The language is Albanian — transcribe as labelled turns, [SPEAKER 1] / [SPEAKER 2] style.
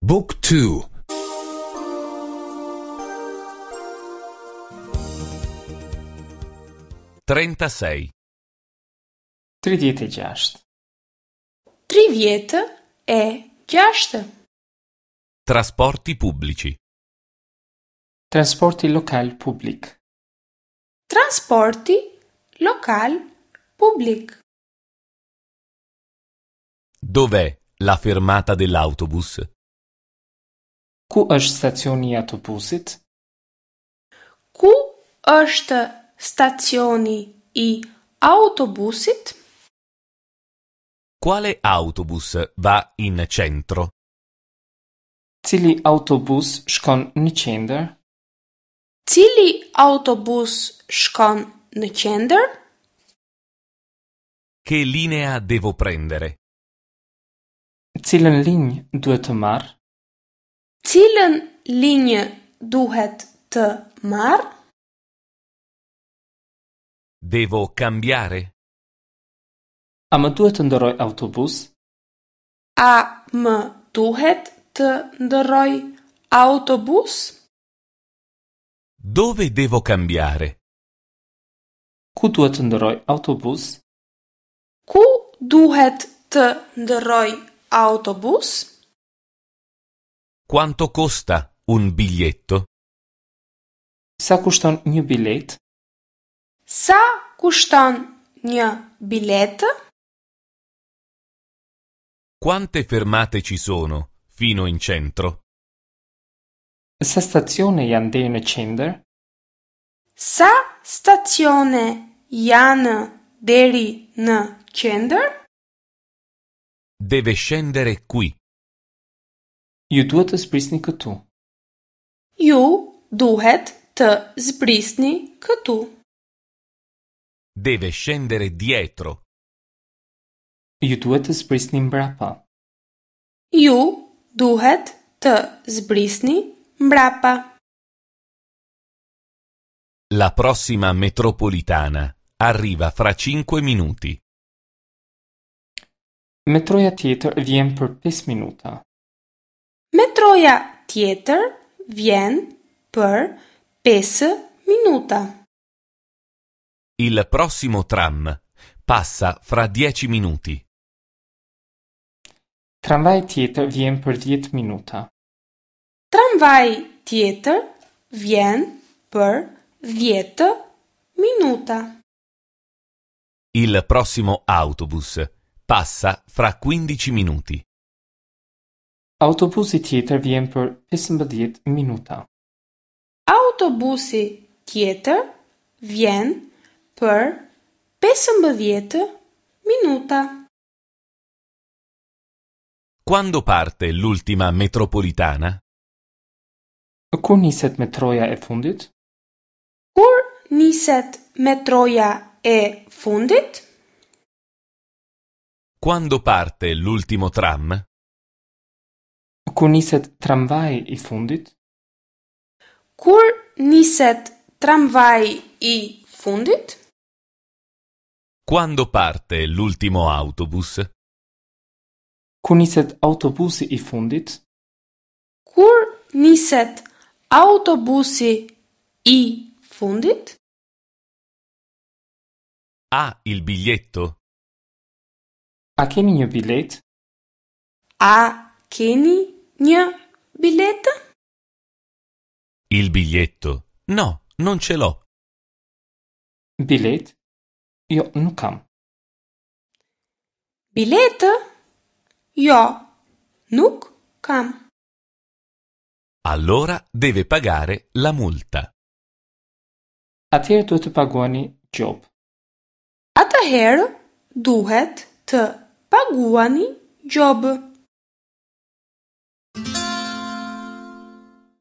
[SPEAKER 1] Book 2
[SPEAKER 2] 36.
[SPEAKER 3] 36.
[SPEAKER 4] 36.
[SPEAKER 2] Trasporti pubblici.
[SPEAKER 3] Transporti lokal publik.
[SPEAKER 4] Transporti lokal publik.
[SPEAKER 2] Dov'è la fermata dell'autobus?
[SPEAKER 3] Ku është stacioni i autobusit?
[SPEAKER 4] Ku është stacioni i autobusit?
[SPEAKER 2] Quale autobus va in centro?
[SPEAKER 3] Cili autobus shkon në qendër?
[SPEAKER 4] Cili autobus shkon në qendër?
[SPEAKER 2] Che linea devo prendere?
[SPEAKER 3] Cilën linjë duhet të marr?
[SPEAKER 4] Cilën linjë duhet të marr?
[SPEAKER 2] Devo cambiare?
[SPEAKER 3] A më duhet të ndërroj autobus?
[SPEAKER 4] A më duhet të ndërroj autobus?
[SPEAKER 2] Dove devo cambiare?
[SPEAKER 3] Ku duhet të ndërroj autobus?
[SPEAKER 4] Ku duhet të ndërroj autobus?
[SPEAKER 2] Quanto costa un biglietto?
[SPEAKER 3] Sa kushton një biletë?
[SPEAKER 4] Sa kushton një biletë?
[SPEAKER 2] Quante fermate ci sono fino in centro?
[SPEAKER 3] Sa stacione janë deri në qendër?
[SPEAKER 4] Sa stacione janë deri në qendër?
[SPEAKER 2] Deve scendere qui.
[SPEAKER 3] Ju duhet të zbrisni këtu.
[SPEAKER 4] Ju duhet të zbrisni këtu.
[SPEAKER 2] Deve scendere dietro.
[SPEAKER 3] Ju duhet të zbrisni mbrapa.
[SPEAKER 4] Ju duhet të zbrisni mbrapa.
[SPEAKER 2] La prossima metropolitana arriva fra 5 minuti.
[SPEAKER 3] Metroja tjetër vjen për 5 minuta.
[SPEAKER 4] Metroja tjetër vjen për 5 minuta.
[SPEAKER 2] Il prossimo tram passa fra 10 minuti.
[SPEAKER 3] Tramvaji tjetër vjen për 10 minuta.
[SPEAKER 4] Tramvaji tjetër vjen për 10 minuta.
[SPEAKER 2] Il prossimo autobus passa fra 15 minuti.
[SPEAKER 3] Autobusi tjetër vjen për 15 minuta.
[SPEAKER 4] Autobusi tjetër vjen për 15 minuta.
[SPEAKER 2] Quando parte l'ultima metropolitana?
[SPEAKER 3] Kur niset metroja e fundit?
[SPEAKER 4] Kur niset metroja e fundit?
[SPEAKER 2] Quando parte l'ultimo tram?
[SPEAKER 3] Kur niset tramvaji i fundit?
[SPEAKER 4] Kur niset tramvaji i fundit?
[SPEAKER 2] Quando parte l'ultimo autobus?
[SPEAKER 3] Kur niset autobusi i fundit?
[SPEAKER 4] Kur niset autobusi i fundit?
[SPEAKER 2] Ha il biglietto?
[SPEAKER 3] A keni një biletë?
[SPEAKER 4] A keni një biletë?
[SPEAKER 2] Il biglietto? No, non ce l'ho.
[SPEAKER 3] Biletë? Jo, nuk kam.
[SPEAKER 4] Biletë? Jo, nuk kam.
[SPEAKER 2] Allora deve pagare la multa.
[SPEAKER 3] Atëherë duhet të paguani gjobë.
[SPEAKER 4] Atëherë duhet të paguani gjobë.